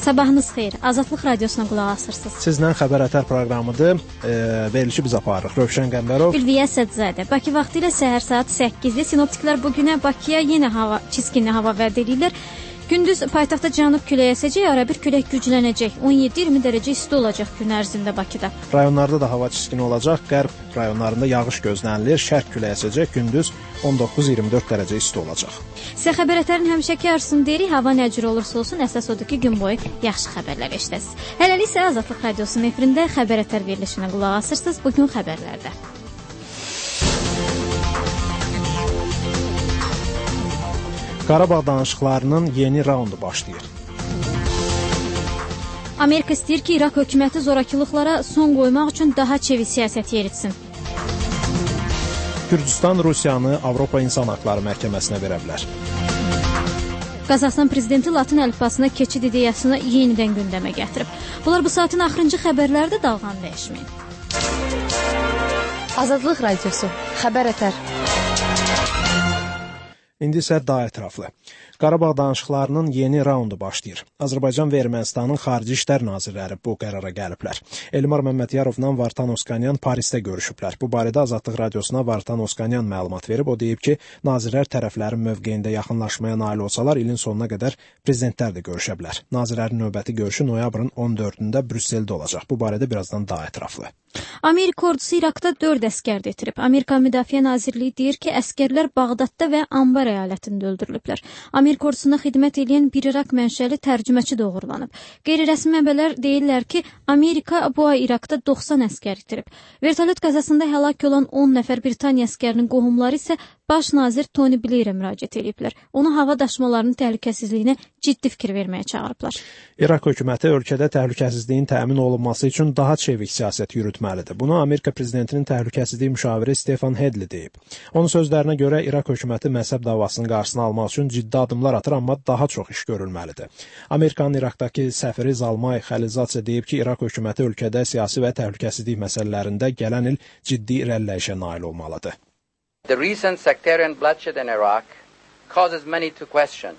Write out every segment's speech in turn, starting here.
Sabahınız xeyir. Azadlıq radiosuna qulaq asırsınız. Sizlə Xəbər Ətər proqramıdır. Verilişi biz aparırıq. Rövşən Qəmbərov, Ülviyə Sədzadə. Bakı vaxtı ilə səhər saat 8-də sinoptiklər bugünə Bakıya yenə çiskinli hava vəd edirlər. Gündüz paytaxtda cənub küləyi əsəcək, arabir külək güclənəcək. 17-20 dərəcə isti olacaq gün ərzində Bakıda. Rayonlarda da hava çiskini olacaq. Qərb rayonlarında yağış gözlənilir. Şərq küləyi əsəcək. Gündüz 19-24 dərəcə isti olacaq. Sizə Xəbər Ətərin həmişəki arzusunu deyirik. Hava nə cür olursa olsun, əsas odur ki, gün boyu yaxşı xəbərlər eşidəsiniz. Hələlik isə Azadlıq radiosunun efirində Xəbər Ətər verilişinə qulaq asırsınız. Bugün xəbərlərdə. Qarabağ danışıqlarının yeni raundu başlayır. Amerika istəyir ki, İraq hökuməti zorakılıqlara son qoymaq üçün daha çevik siyasət yeritsin. Gürcüstan Rusiyanı Avropa İnsan Haqları Məhkəməsinə verə bilər. Qazaxıstan prezidenti Latın əlifbasına keçid ideyasını yenidən gündəmə gətirib. Bunlar bu saatin axırıncı xəbərlərdə dalğan dəyişməyin. Azadlıq radiosu, Xəbər Ətər. İndi isə daha ətraflı. Qarabağ danışıqlarının yeni raundu başlayır. Azərbaycan və Ermənistanın xarici işlər nazirləri bu qərara gəliblər. Elmar Məmmədyarovla Vartan Oskanyan Parisdə görüşüblər. Bu barədə Azadlıq radiosuna Vartan Oskanyan məlumat verib. O deyib ki, nazirlər tərəflərin mövqeyində yaxınlaşmaya nail olsalar, ilin sonuna qədər prezidentlər də görüşə bilər. Nazirlərin növbəti görüşü noyabrın 14-də Brüsseldə olacaq. Bu barədə birazdan daha ətraflı. Amerika ordusu İraqda 4 əskər detirib. Amerika Müdafiə Nazirliyi deyir ki, əskərlər Bağdadda və Ambar əyalətində öldürülüblər. Amerika ordusuna xidmət edən bir İraq mənşəli tərcüməçi doğrulanıb. Qeyri-rəsmi mənbələr deyirlər ki, Amerika bu ay İraqda 90 əskər itirib. Vertolyot qəzasında həlak olan 10 nəfər Britaniya əskərinin qohumları isə Baş nazir Tony Blairə müraciət ediblər. Onu hava daşımalarının təhlükəsizliyinə ciddi fikir verməyə çağırıblar. İraq hökuməti ölkədə təhlükəsizliyin təmin olunması üçün daha çevik siyasət yürütməlidir. Bunu Amerika prezidentinin təhlükəsizlik müşaviri Stefan Hedli deyib. Onun sözlərinə görə İraq hökuməti məhzəb davasının qarşısını almaq üçün ciddi addımlar atır, amma daha çox iş görülməlidir. Amerikanın İraqdakı səfiri Zalmay Xəlilzadsə deyib ki, İraq hökuməti ölkədə siyasi və təhlükəsizlik məsələlərində gələn il ciddi irəliləyişə nail olmalıdır. The recent sectarian bloodshed in Iraq causes many to question.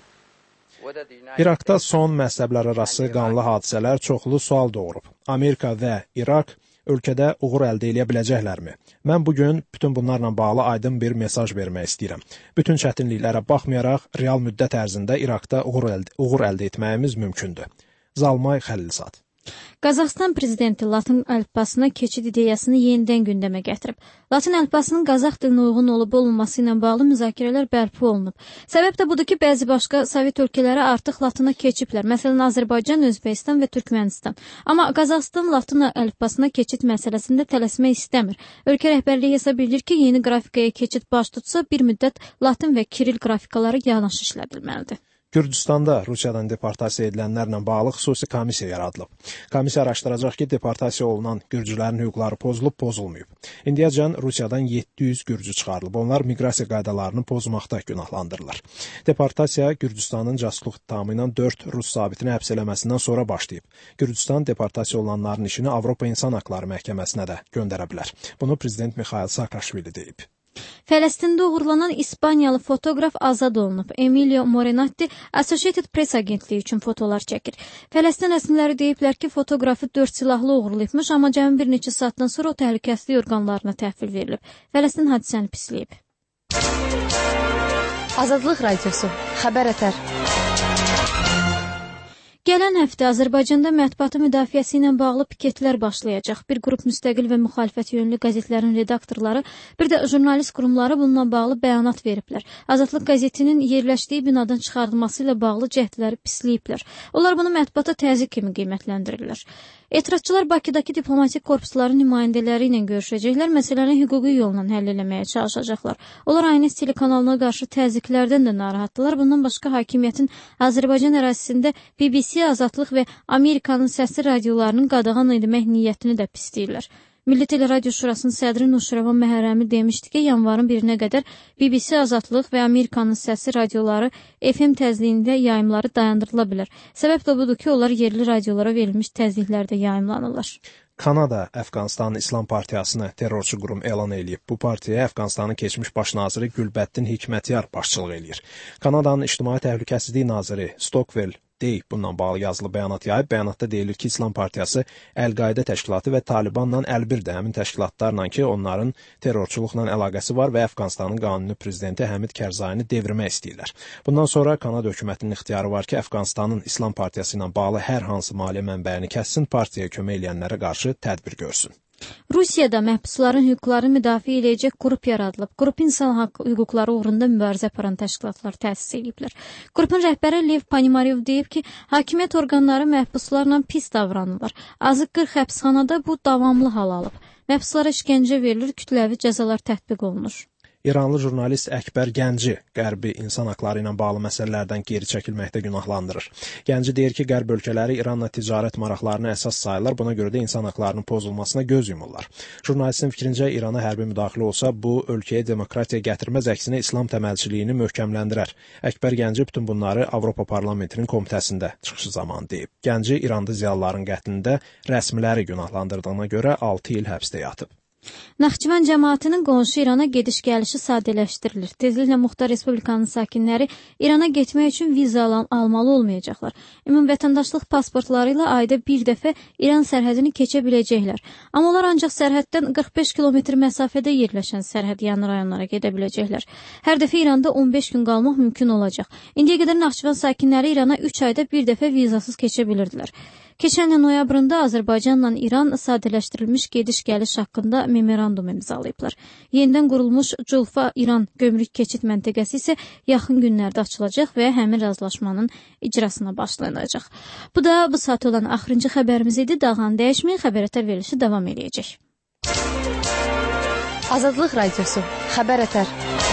İraqda son məzhəblərarası qanlı hadisələr çoxlu sual doğurub. Amerika və İraq ölkədə uğur əldə edə biləcəklərmi? Mən bugün bütün bunlarla bağlı aydın bir mesaj vermək istəyirəm. Bütün çətinliklərə baxmayaraq, real müddət ərzində İraqda uğur əldə etməyimiz mümkündür. Zalmay Xəlilzad. Qazaxıstan prezidenti Latın əlifbasına keçid ideyasını yenidən gündəmə gətirib. Latın əlifbasının Qazax dilinə uyğun olub-olmaması ilə bağlı müzakirələr bərpa olunub. Səbəb də budur ki, bəzi başqa Sovet ölkələri artıq Latına keçiblər. Məsələn, Azərbaycan, Özbəkistan və Türkmənistan. Amma Qazaxıstan Latın əlifbasına keçid məsələsində tələsmək istəmir. Ölkə rəhbərliyi hesab edir ki, yeni qrafikaya keçid baş tutsa, bir müddət Latın və Kiril qrafikaları yanaşı işlədilməlidir. Gürcüstanda Rusiyadan deportasiya edilənlərlə bağlı xüsusi komissiya yaradılıb. Komissiya araşdıracaq ki, deportasiya olunan gürcülərin hüquqları pozulub-pozulmayıb. İndiyəcən Rusiyadan 700 gürcü çıxarılıb. Onlar miqrasiya qaydalarını pozmaqda günahlandırılır. Deportasiya Gürcüstanın casusluq ittihamı ilə 4 Rus zabitini həbs eləməsindən sonra başlayıb. Gürcüstan deportasiya olunanların işini Avropa İnsan Haqları Məhkəməsinə də göndərə bilər. Bunu prezident Mikhail Saakashvili deyib. Fələstində uğurlanan İspaniyalı fotoqraf azad olunub. Emilio Morinatti Associated Press agentliyi üçün fotolar çəkir. Fələstin rəsmiləri deyiblər ki, fotoqrafı 4 silahlı uğurlayıbmış, amma cəmi bir neçə saatdan sonra o təhlükəsizlik orqanlarına təhvil verilib. Fələstin hadisəni pisləyib. Azadlıq radiosu, Xəbər Ətər. Gələn həftə Azərbaycanda mətbuatı müdafiəsi ilə bağlı piketlər başlayacaq. Bir qrup müstəqil və müxalifət yönlü qəzetlərin redaktorları, bir də jurnalist qurumları bununla bağlı bəyanat veriblər. Azadlıq qəzetinin yerləşdiyi binadan çıxarılması ilə bağlı cəhdləri pisləyiblər. Onlar bunu mətbuata təzyiq kimi qiymətləndirirlər. Etirazçılar Bakıdakı diplomatik korpusların nümayəndələri ilə görüşəcəklər, məsələni hüquqi yolla həll eləməyə çalışacaqlar. Onlar ANS telekanalına qarşı təzyiqlərdən də narahatdılar. Bundan başqa hakimiyyətin Azərbaycan ərazisində BBC, Azadlıq və Amerikanın səsli radiolarının qadağan etmək niyyətini də pisləyirlər. Milli Teleradio Şurasının sədri Nuşrəvan Məhərrəmi demişdi ki, yanvarın 1-nə qədər BBC, Azadlıq və Amerikanın səsli radioları FM təzyiqində yayımları dayandırıla bilər. Səbəb də budur ki, onlar yerli radiolara verilmiş təzyiqlərdə yayımlanırlar. Kanada Əfqanistanın İslam Partiyasını terrorçu qurum elan edib. Bu partiyaya Əfqanistanın keçmiş baş naziri Gülbəddin Hikmətyar başçılıq edir. Kanadanın İctimai Təhlükəsizlik naziri Stockwell deyib. Bununla bağlı yazılı bəyanat yayıb. Bəyanatda deyilir ki, İslam Partiyası, Əl-Qaidə təşkilatı və Talibanla əlbirdir. Həmin təşkilatlarla ki, onların terrorçuluqla əlaqəsi var və Əfqanistanın qanuni prezidenti Həmid Kərzayini devirmək istəyirlər. Bundan sonra Kanada hökumətinin ixtiyarı var ki, Əfqanistanın İslam Partiyası ilə bağlı hər hansı maliyyə mənbəyini kəssin, partiyaya kömək edənlərə qarşı tədbir görsün. Rusiyada məhbusların hüquqlarını müdafiə edəcək qrup yaradılıb. Qrup insan hüquqları uğrunda mübarizə aparan təşkilatlar təsis ediblər. Qrupun rəhbəri Lev Panimaryev deyib ki, hakimiyyət orqanları məhbuslarla pis davranırlar. Azı 40 həbsxanada bu davamlı hal alıb. Məhbuslara işgəncə verilir, kütləvi cəzalar tətbiq olunur. İranlı jurnalist Əkbər Gənci Qərbi insan haqları ilə bağlı məsələlərdən geri çəkilməkdə günahlandırır. Gənci deyir ki, Qərb ölkələri İranla ticarət maraqlarını əsas sayırlar, buna görə də insan haqlarının pozulmasına göz yumurlar. Jurnalistin fikrincə, İrana hərbi müdaxilə olsa, bu ölkəyə demokratiya gətirməz, əksinə İslam təməlçiliyini möhkəmləndirər. Əkbər Gənci bütün bunları Avropa Parlamentinin komitəsində çıxışı zamanı deyib. Gənci İranda ziyalıların qətlində rəsmiləri günahlandırdığına görə 6 il həbsdə yatıb. Naxçıvan cəmaətinin qonşu İrana gediş-gəlişi sadələşdirilir. Tezliklə Muxtar Respublikanın sakinləri İrana getmək üçün viza almalı olmayacaqlar. Ümumi vətəndaşlıq pasportları ilə ayda bir dəfə İran sərhədini keçə biləcəklər. Amma onlar ancaq sərhəddən 45 kilometr məsafədə yerləşən sərhədyanı rayonlara gedə biləcəklər. Hər dəfə İranda 15 gün qalmaq mümkün olacaq. İndiyə qədər Naxçıvan sakinləri İrana 3 ayda bir dəfə vizasız keçə bilirdilər. Keçən il noyabrında Azərbaycanla İran sadələşdirilmiş gediş-gəliş haqqında memorandum imzalayıblar. Yenidən qurulmuş Culfa-İran gömrük keçid məntəqəsi isə yaxın günlərdə açılacaq və həmin razılaşmanın icrasına başlanacaq. Bu da bu saat olan axırıncı xəbərimiz idi. Dağan dəyişməyin, xəbər verilişi davam edəcək. Azadlıq Radiosu, Xəbər Ətər.